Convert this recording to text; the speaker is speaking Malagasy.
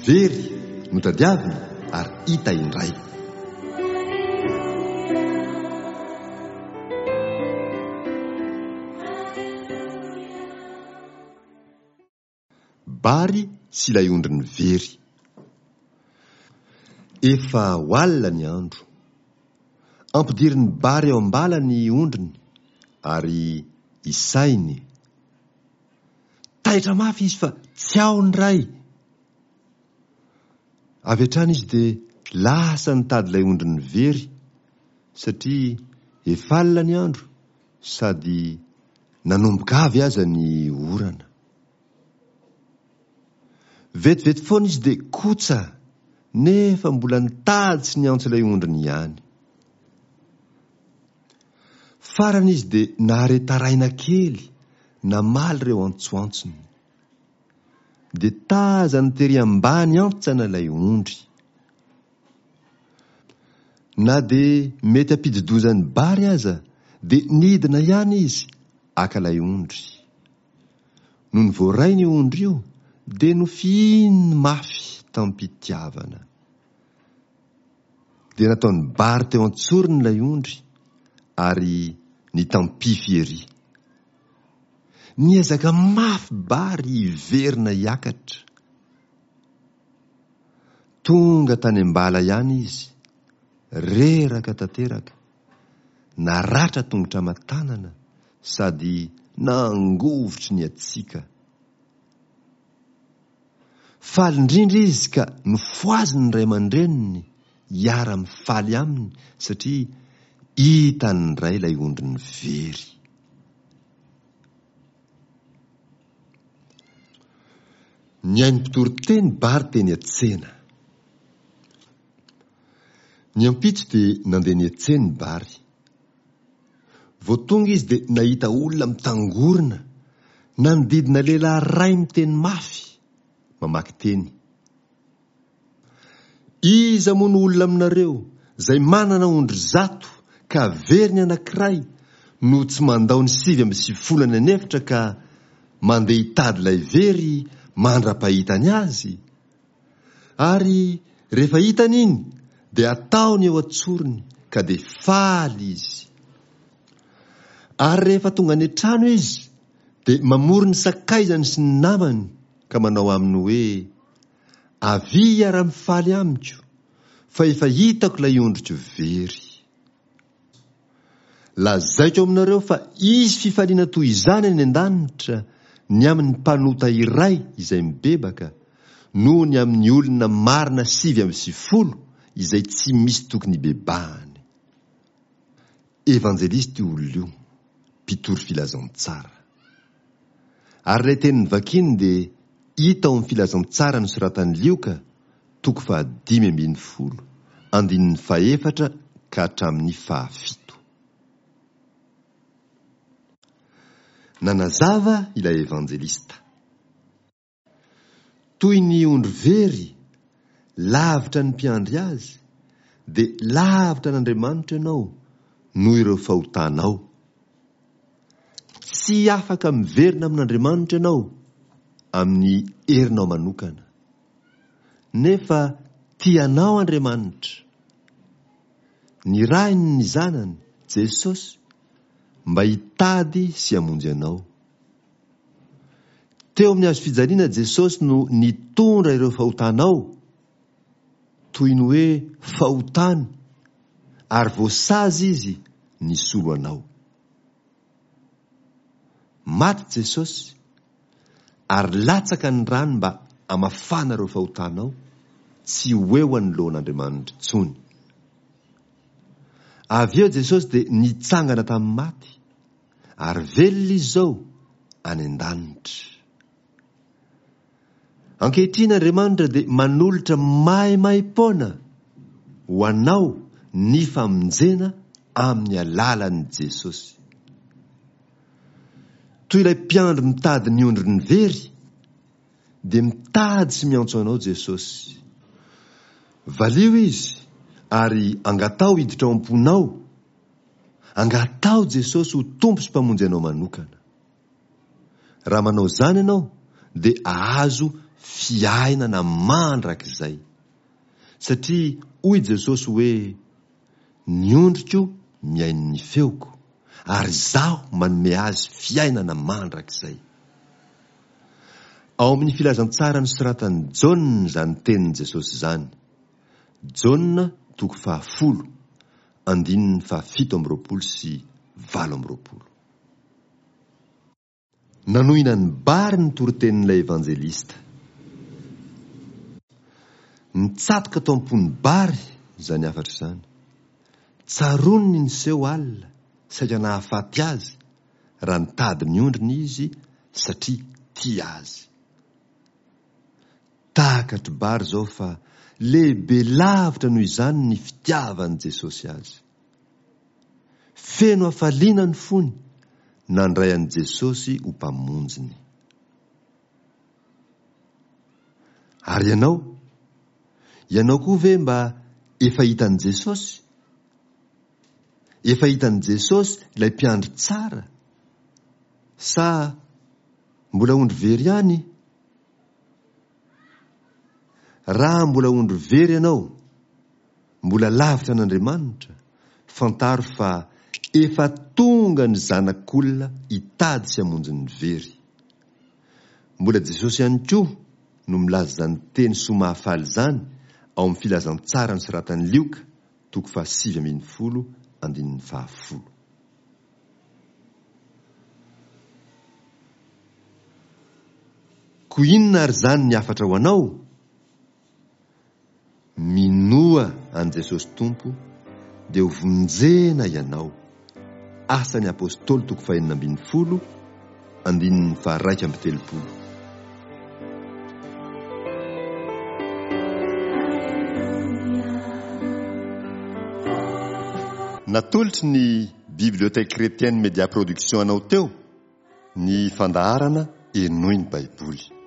Very, notadiavina ary hita indray. Bary sy ilay ondriny very. Efa ho alina ny andro. Ampidirin'i Bary ao am-bala ny ondriny ary isainy. Taitra mafy izy fa tsy ao ny ray. Avy hatrany izy dia lasa nitady ilay ondriny very satria efa alina ny andro sady nanomboka avy aza ny orana. Vetivety foana izy dia kotsa nefa mbola nitady sy niantso ilay ondriny ihany. Farany izy dia nahare taraina kely namaly ireo antsoantsony. Dia tazany tery ambany antsana ilay ondry. Na dia mety hampidi-doza ny Bary aza dia nidina ihany izy haka ilay ondry. Nony voarainy io ondry io dia nofihininy mafy tamim-pitiavana. Dia nataony Bary teo an-tsorony ilay ondry ary nitampify ery. Niezaka mafy Bary hiverina hiakatra. Tonga tany am-bala ihany izy, reraka tanteraka, naratra tongotra aman-tanana sady nangovitry ny hatsiaka. Faly indrindra izy ka nofohaziny ny ray aman-dreniny hiara-mifaly aminy satria hitany indray ilay ondriny very. Nihaino mpitoriteny Bary teny an-tsena. Ny ampitso dia nandeha niantsena i Bary. Vao tonga izy dia nahita olona mitangorona nanodidina lehilahy iray miteny mafy, mamaky teny. Iza moa no olona aminareo izay manana ondry zato ka very ny anankiray no tsy mandao ny 99 any an'efitra ka mandeha hitady ilay very mandra-pahitany azy? Ary rehefa hitany iny dia ataony eo an-tsorony ka dia faly izy. Ary rehefa tonga any an-trano izy dia mamory ny sakaizany sy ny namany ka manao aminy hoe, Avia hiara-mifaly amiko, fa efa hitako ilay ondriko very. Lazaiko aminareo fa hisy fifaliana toy izany any an-danitra ny amin'ny mpanota iray izay mibebaka, noho ny amin'ny olona marina 99 izay tsy misy tokony hibebahany. Evanjelista io olona io, mpitory filazantsara. Ary ilay teny novakiny dia hita ao amin'ny Filazantsara nosoratan'i Lioka, toko faha-15, andininy fahefatra ka hatramin'ny fahafito. Nanazava ilay evanjelista. Toy ny ondry very, lavitra ny mpiandry azy, dia lavitra an'Andriamanitra ianao noho ireo fahotanao. Tsy afaka miverina amin'Andriamanitra ianao amin'ny herinao manokana. Nefa tia anao Andriamanitra. Nirahiny ny Zanany, Jesosy, mba hitady sy hamonjy anao. Teo amin'ny hazo fijaliana Jesosy no nitondra ireo fahotanao, toy ny hoe fahotany, ary voasazy Izy nisolo anao. Maty Jesosy, ary latsaka ny rany mba hamafana ireo fahotanao tsy ho eo anoloan'Andriamanitra intsony. Avy eo Jesosy dia nitsangana tamin'ny maty, Ary velona izy izao any an-danitra. Ankehitriny Andriamanitra dia manolotra maimaim-poana ho anao ny famonjena amin'ny alalan'i Jesosy. Toy ilay mpiandry mitady ny ondriny very, dia mitady sy miantso anao Jesosy. Valio Izy ary angataho hiditra ao am-ponao Angataho Jesosy ho Tompo sy Mpamonjy anao manokana. Raha manao izany ianao dia ahazo fiainana mandrakizay. Satria hoy Jesosy hoe, Ny ondriko mihaino ny feoko, ary Izaho manome azy fiainana mandrakizay. Ao amin'ny Filazantsara nosoratan'i Jaona izany tenin'i Jesosy izany. Jaona toko fahafolo, andininy fahafito amby roapolo sy 28. Nanohina an'i Bary ny toritenin'ilay evanjelista. Nitsatoka tao am-pon'i Bary izany hafatra izany. Tsaroany ny niseho alina, saika nahafaty azy, raha nitady ny ondriny izy satria tia azy. Takatr'i Bary izao fa lehibe lavitra noho izany ny fitiavan'i Jesosy azy. Feno hafaliana ny fony nandray an'i Jesosy ho Mpamonjiny. Ary ianao? Ianao koa ve mba efa hitan'i Jesosy? Efa hitan'i Jesosy ilay mpiandry tsara? Sa mbola ondry very ihany? Raha mbola ondry very ianao, mbola lavitra an'Andriamanitra, fantaro fa efa tonga ny Zanak'olona hitady sy hamonjy ny very. Mbola Jesosy ihany koa no milaza izany teny soa mahafaly izany ao amin'ny Filazantsara nosoratan'i Lioka, toko faha-19 andininy fahafolo. Koa inona ary izany ny hafatra ho anao? Minoa an'i Jesosy Tompo dia ho vonjena ianao. Asan'ny Apostoly toko fahenina ambin'ny folo andininy faha-31. Natolotry ny Bibliothèque Chrétienne Media Production anao teo ny fandaharana Henoy ny Baiboly.